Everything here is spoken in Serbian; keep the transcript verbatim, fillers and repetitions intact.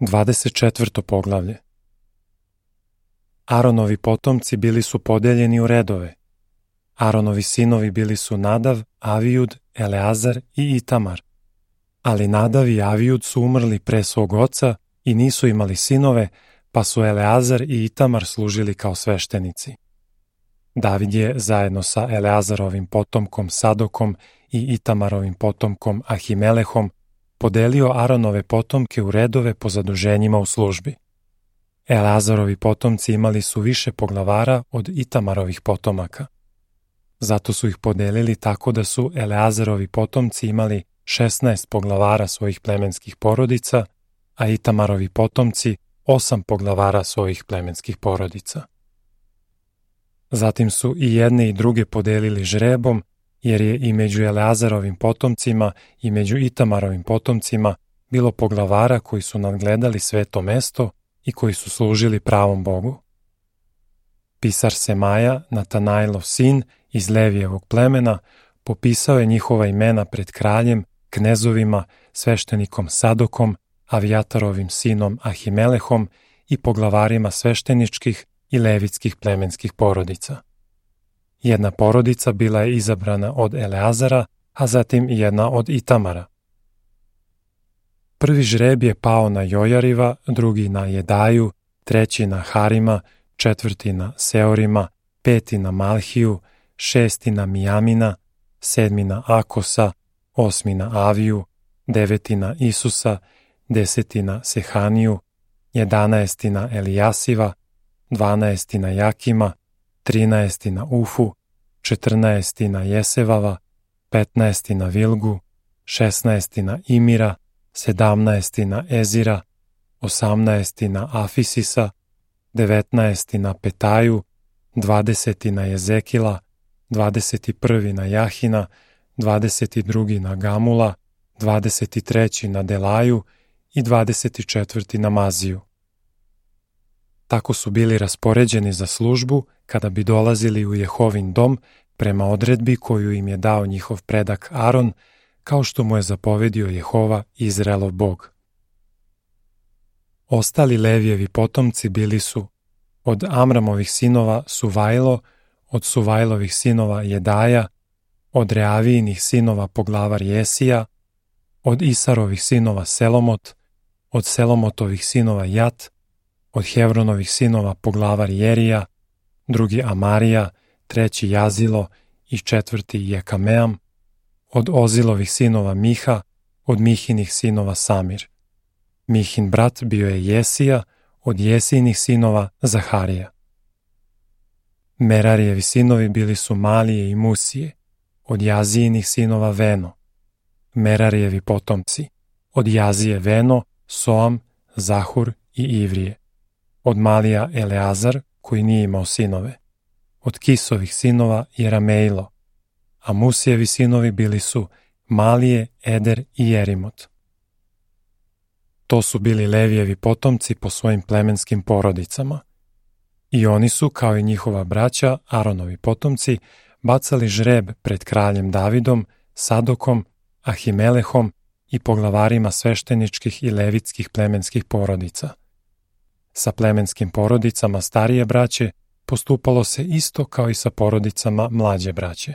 dvadeset četvrto poglavlje. Aronovi potomci bili su podeljeni u redove. Aronovi sinovi bili su Nadav, Avijud, Eleazar i Itamar. Ali Nadav i Avijud su umrli pre svog oca i nisu imali sinove, pa su Eleazar i Itamar služili kao sveštenici. David je zajedno sa Eleazarovim potomkom Sadokom i Itamarovim potomkom Ahimelehom podelio Aronove potomke u redove po zaduženjima u službi. Eleazarovi potomci imali su više poglavara od Itamarovih potomaka. Zato su ih podelili tako da su Eleazarovi potomci imali šesnaest poglavara svojih plemenskih porodica, a Itamarovi potomci osam poglavara svojih plemenskih porodica. Zatim su i jedne i druge podelili žrebom, jer je i među Eleazarovim potomcima i među Itamarovim potomcima bilo poglavara koji su nadgledali sveto mesto i koji su služili pravom Bogu. Pisar Semaja, Natanailov sin iz Levijevog plemena, popisao je njihova imena pred kraljem, knezovima, sveštenikom Sadokom, Avijatarovim sinom Ahimelehom i poglavarima svešteničkih i levitskih plemenskih porodica. Jedna porodica bila je izabrana od Eleazara, a zatim jedna od Itamara. Prvi žreb je pao na Jojariva, drugi na Jedaju, treći na Harima, četvrti na Seorima, peti na Malhiju, šesti na Mijamina, sedmi na Akosa, osmi na Aviju, deveti na Isusa, deseti na Sehaniju, jedanaesti na Elijasiva, dvanaesti na Jakima, trinaesti na Ufu, četrnaesti na Jesevava, petnaesti na Vilgu, šesnaesti na Imira, sedamnaesti na Ezira, osamnaesti na Afisisa, devetnaesti na Petaju, dvadeseti na Jezekila, dvadeset prvi na Jahina, dvadeset drugi na Gamula, dvadeset treći na Delaju i dvadeset četvrti na Maziju. Tako su bili raspoređeni za službu kada bi dolazili u Jehovin dom prema odredbi koju im je dao njihov predak Aron, kao što mu je zapovedio Jehova, Izraelov Bog. Ostali Levijevi potomci bili su od Amramovih sinova Suvajlo, od Suvajlovih sinova Jedaja, od Reavijinih sinova poglavar Jesija, od Isarovih sinova Selomot, od Selomotovih sinova Jat, od Hevronovih sinova poglavar Jerija, drugi Amarija, treći Jazilo i četvrti Jekameam, od Ozilovih sinova Miha, od Mihinih sinova Samir. Mihin brat bio je Jesija, od Jesijinih sinova Zaharija. Merarijevi sinovi bili su Malije i Musije, od Jazijinih sinova Veno. Merarijevi potomci, od Jazije Veno, Soam, Zahur i Ivrije. Od Malija Eleazar, koji nije imao sinove. Od Kisovih sinova Jerameilo, a Musijevi sinovi bili su Malije, Eder i Jerimot. To su bili Levijevi potomci po svojim plemenskim porodicama. I oni su, kao i njihova braća, Aronovi potomci, bacali žreb pred kraljem Davidom, Sadokom, Ahimelehom i poglavarima svešteničkih i levitskih plemenskih porodica. Sa plemenskim porodicama starije braće postupalo se isto kao i sa porodicama mlađe braće.